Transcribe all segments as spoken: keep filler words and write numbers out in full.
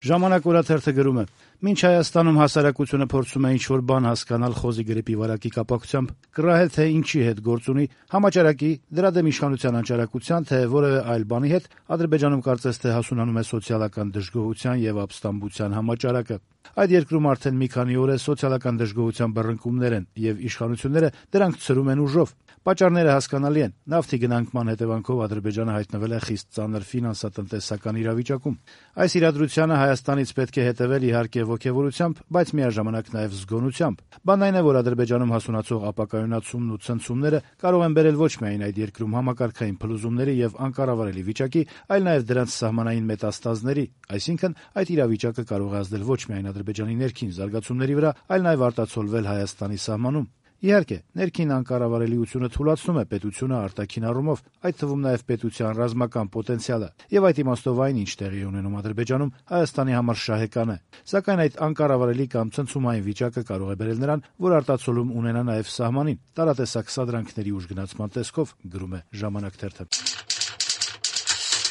Ժամանակ օրաթերթը գրում է. «Մինչ Հայաստանում հասարակությունը փորձում է ինչ-որ բան հասկանալ խոզի գրիպի վարակի կապակցությամբ, կռահել թե ինչի հետ գործ ունի, համաճարակի, դրա դեմ իշխանության անճարակության, թե որևէ այլ բանի հետ, Ադրբեջանում կարծես թե հասունանում է սոցիալական դժգոհության եւ ապստամբության համաճարակը։ Այդ երկրում արդեն մի քանի օր է սոցիալական դժգոհության բռնկումներ են, եւ իշխանությունները դրանք ցրում են ուժով։ Պատճառները հասկանալի են. նավթի գնանկման հետևանքով Ադրբեջանը հայտնվել է խիստ ծանր ֆինանսատնտեսական իրավիճակում։ Այս իրադրությանը Հայաստանից պետք է հետեւել իհարկե ոգեւորությամբ, բայց միաժամանակ նաեւ զգոնությամբ։ Բանն այն է, որ Ադրբեջանում հասունացող ապակայունացումն ու ցնցումները կարող են բերել ոչ միայն այդ երկրում համակարգային փլուզումների եւ անկառավարելի վիճակի, այլ նաեւ դրանց սահմանային մետաստազների, այսինքն այդ իրավիճակը կարող է ազդել ոչ միայն Ադրբեջանի ներքին զարգացումների վրա, այլ նաեւ արտացոլվել Հայաստանի սահմանում։ Իհարկե, ներքին անկառավարելիությունը թուլացնում է պետությունը արտաքին առումով, այդ թվում նաեւ պետության ռազմական պոտենցիալը, եւ այդ իմաստով այն, ինչ տեղի ունենում Ադրբեջանում, Հայաստանի համար շահեկան է։ Սակայն այդ անկառավարելի կամ ցնցումային վիճակը կարող է բերել նրան, որ արտացոլում ունենա նաեւ սահմանին, տարատեսակ սադրանքների ուժգնացման տեսքով, գրում է Ժամանակ թերթը։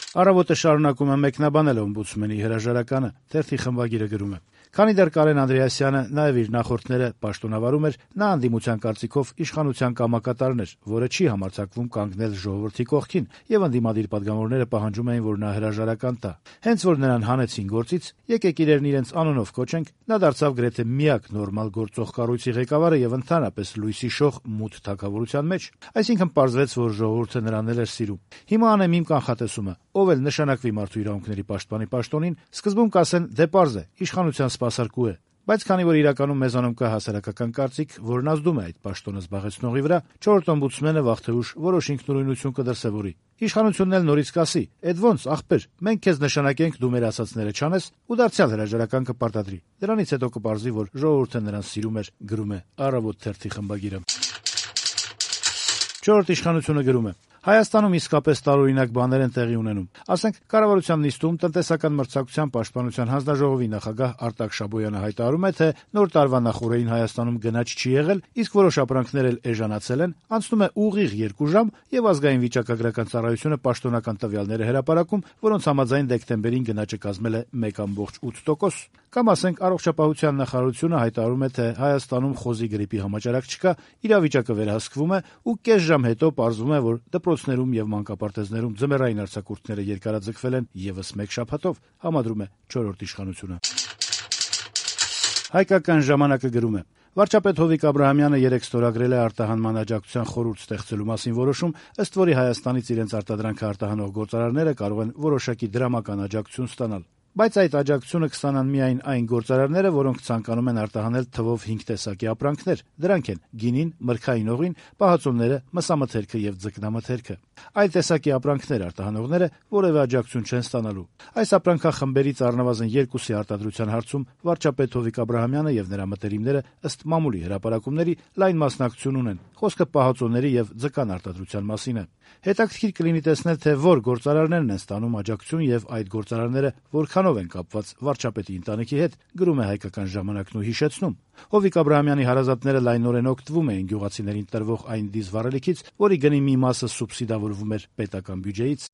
Առավոտը շարունակում է մեկնաբանել օմբուդսմենի հրաժարականը, թերթի խմբագիրը գրում է. Քանի դեռ Կարեն Անդրեասյանը նաեւ իր նախորդները պաշտոնավարում էր, նա անդիմության կարծիքով իշխանության կամակատարն էր, որը չի համարձակվում կանգնել ժողովրդի կողքին, եւ ընդդիմադիր պատգամավորները պահանջում էին, որ նա հրաժարական տա։ Հենց որ նրան հանեցին գործից, եկեք իրեն իրենց անունով կոչենք, նա դարձավ գրեթե միակ նորմալ գործող կառույցի ղեկավարը եւ ընդհանրապես լույսի շող մութ թագավորության մեջ։ Այսինքն պարզվեց, որ ժողովուրդը նրան էլ էր սիրում։ Հիմա անեմ իմ կանխատեսումը, ով էլ նշանակվի մարդու իրավունքների պաշտպանի պաշտոնին, սկզբում կասեն՝ դե պարզ է, իշխանության սպասարկու է, բայց քանի որ իրականում մեզանում կա հասարակական կարծիք, որն ազդում է այդ պաշտոնը զբաղեցնողի վրա, չորրորդ օմբուդսմենը վաղ թե ուշ որոշ ինքնուրույնություն կդրսևորի։ Իշխանությունն էլ նորից կասի՝ «Էդ ոնց, ախպեր, մենք քեզ նշանակենք, դու մեր ասածները չանես» ու դարձյալ հրաժարական կպարտադրի։ Դրանից հետո կպարզվի, որ ժողովուրդը նրան սիրում էր, գրում է Առավոտ թերթի խմբագիրը։ Չորրորդ իշխանությունը գրում է. Հայաստանում իսկապես տարօրինակ բաներ են տեղի ունենում։ Ասենք, կառավարության նիստում տնտեսական մրցակցության պաշտպանության հանձնաժողովի նախագահ Արտակ Շաբոյանը հայտարարում է, թե նոր տարվա նախօրեին Հայաստանում գնաճ չի եղել, իսկ որոշ ապրանքներ էլ էժանացել են, անցնում է ուղիղ երկու ժամ եւ ազգային վիճակագրական ծառայությունը պաշտոնական տվյալներ է հրապարակում, որոնց համաձայն դեկտեմբերին գնաճը կազմել է մեկ կόμկոմ ութ տոկոս։ Կամ ասենք, առողջապահության նախարարությունը հայտարարում է, թե Հայաստանում խոզի գրիպի համաճարակ չկա, իրավիճակը վերահսկվում է ու կես ժամ հետո պարզվում է, որ դպրոցներում եւ մանկապարտեզներում ձմեռային արձակուրդները երկարաձգվել են եւս մեկ շաբաթով, համադրում է չորրորդ իշխանությունը։ Հայկական ժամանակը գրում է. Վարչապետ Հովիկ Աբրահամյանը երեկ ստորագրել է արտահանման աջակցության խորհուրդ ստեղծելու մասին որոշում, ըստ որի Հայաստանից իրենց արտադրանքը արտահանող գործարարները կարող են որոշակի դրամական աջակցություն ստանալ։ Բայց այդ աջակցությունը կստանան միայն այն գործարարները, որոնք ցանկանում են արտահանել թվով հինգ տեսակի ապրանքներ։ Դրանք են գինին, մրգային օղին, պահածոները, մսամթերքը եւ ձկնամթերքը։ Այլ տեսակի ապրանքներ արտահանողները որևէ աջակցություն չեն ստանալու։ Այս ապրանքախմբերից առնվազն երկուսի արտադրության հարցում վարչապետ Հովիկ Աբրահամյանը եւ նրա մտերիմները ըստ մամուլի հրապարակումների լայն մասնակցություն ունեն։ Խոսքը պահածոների եւ ձկան արտադրության մասին է։ Հետաքրքիր կլինի տեսնել, թե որ գործարարներն են ստանում աջակցություն եւ այդ գործարարները որքանով են կապված վարչապետի ընտանիքի հետ, գրում է Հայկական ժամանակն ու հիշեցնում. Հովիկ Աբրահամյանի հարազատները լայնորեն օգտվում էին գյուղացիներին տրվող այն դիզվառելիքից, որի գնի մի մասը սուբսիդավորվում էր պետական բյուջեից։